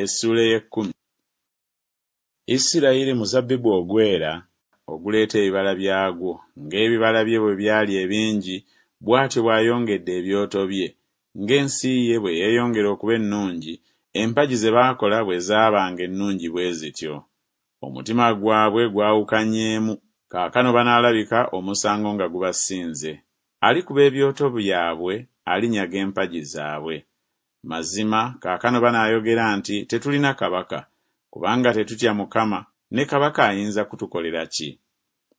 Essuula ey'ekkumi. Isirayiri muzabbibu ogwera, oguleeta ebibala byagwo, ng'ebibala bye bwe byali ebingi, bw'atyo bw'ayongedde ebyoto bye, ng'ensi ye bwe yeeyongera okuba ennungi, empagi ze baakola bwe zaabanga ennungi bwe zityo. Omutima gwabwe gwawukanyeemu, kaakano banaalabika omusango nga gubasinze. Alikuba ebyoto byabwe, alinyaga empagi zaabwe. Mazima, kaakano banaayogera nti Tetulina kabaka, kubanga tetutya Mukama, ne kabaka ayinza kutukolera ki?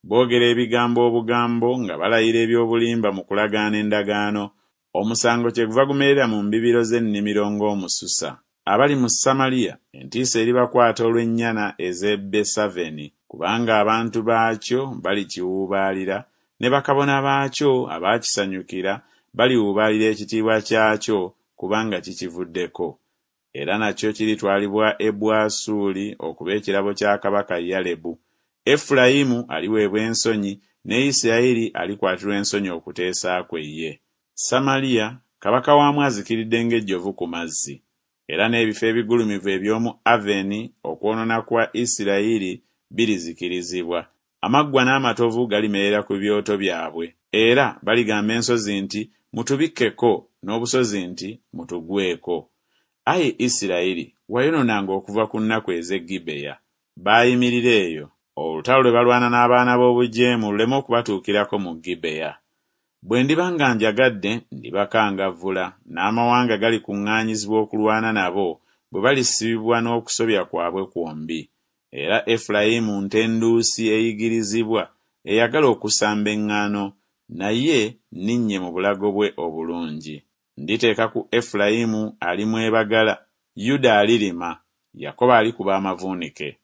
Boogera ebigambo obugambo nga balayira eby'obulimba mu kulagaana endagaano, omusango kyeguva gumerera mu mbibiro z'ennimiro ng'omususa. Abali mu Samaliya entiisa eribakwata olw'ennyana ez'e Besaveni, kubanga abantu baakyo balikiwuubaalira, ne bakabona baakyo abaakisanyukira baliwuubaalira ekitiibwa kyakyo, kubanga kikivuddeko. Era nakyo kiritwalibwa e Bwasuli okuba ekirabo kya kabaka Yalebu. Efulayimu aliweebwa ensonyi, ne Isirayiri alikwatirwa ensonyi okuteesa kwe ye. Samaliya, kabaka waamu azikiridde ng'ejjovu ku mazzi. Era n'ebifo ebigulumivu eby'omu Aveni, okwonoona kwa Isirayiri, birizikirizibwa, amaggwa n'amatovu galimerera ku byoto byabwe, era baligamba ensozi nti Mutubikkeko, n'obusozi nti Mutugweko. Ayi Isirayiri, wayonoonanga okuva ku nnaku ez'e Gibeya. Baayimirira eyo, olutalo lwe balwana n'abaana b'obujeemu luleme okubatuukirako mu Gibeya. Bwe ndiba nga njagadde ndibakangavvula, n'amawanga galikuŋŋaanyizibwa okulwana nabo, bwe balisibibwa n'okusobya kwabwe kwombi. Era Efulayimu nte nduusi eyigirizibwa, eyagala okusamba eŋŋaano, naye nninnye mu bulago bwe obulungi. Nditeeka ku Efulayimu alimwebagala, Yuda alirima, Yakobo alikuba amavuunike.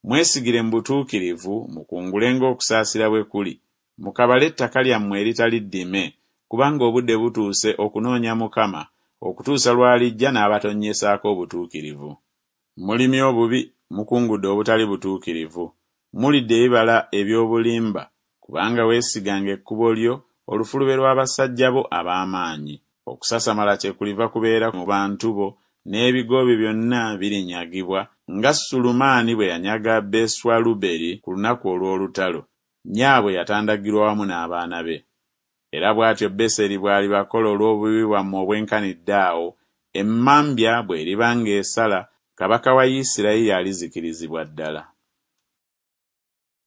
Mwesigire mu butuukirivu, mukungule ng'okusaasira bwe kuli, mukabale ettaka lyammwe eritali ddime, kubanga obudde butuuse okunoonya Mukama, okutuusa lw'alijja n'abatonnyesaako obutuukirivu. Mulimye obubi, mukungudde obutali butuukirivu, mulidde ebibala eby'obulimba, kubanga weesiganga ekkubo lyo, olufulube lw'abasajja bo ab'amaanyi. Okusasamala kyekuliva kubeera mu bantu bo, n'ebigo byo byonna birinyagibwa, nga Sulemaani bwe yanyaga Beswaluberi ku lunaku olw'olutalo, nnyaabwe yatandagirwa wamu n'abaana be. Era bw'atyo Beseri bw'alibakola olw'obubi bwammwe obwenkanidde awo, emmambya bw'eriba ng'esala, kabaka wa Isirayiri alizikirizibwa ddala.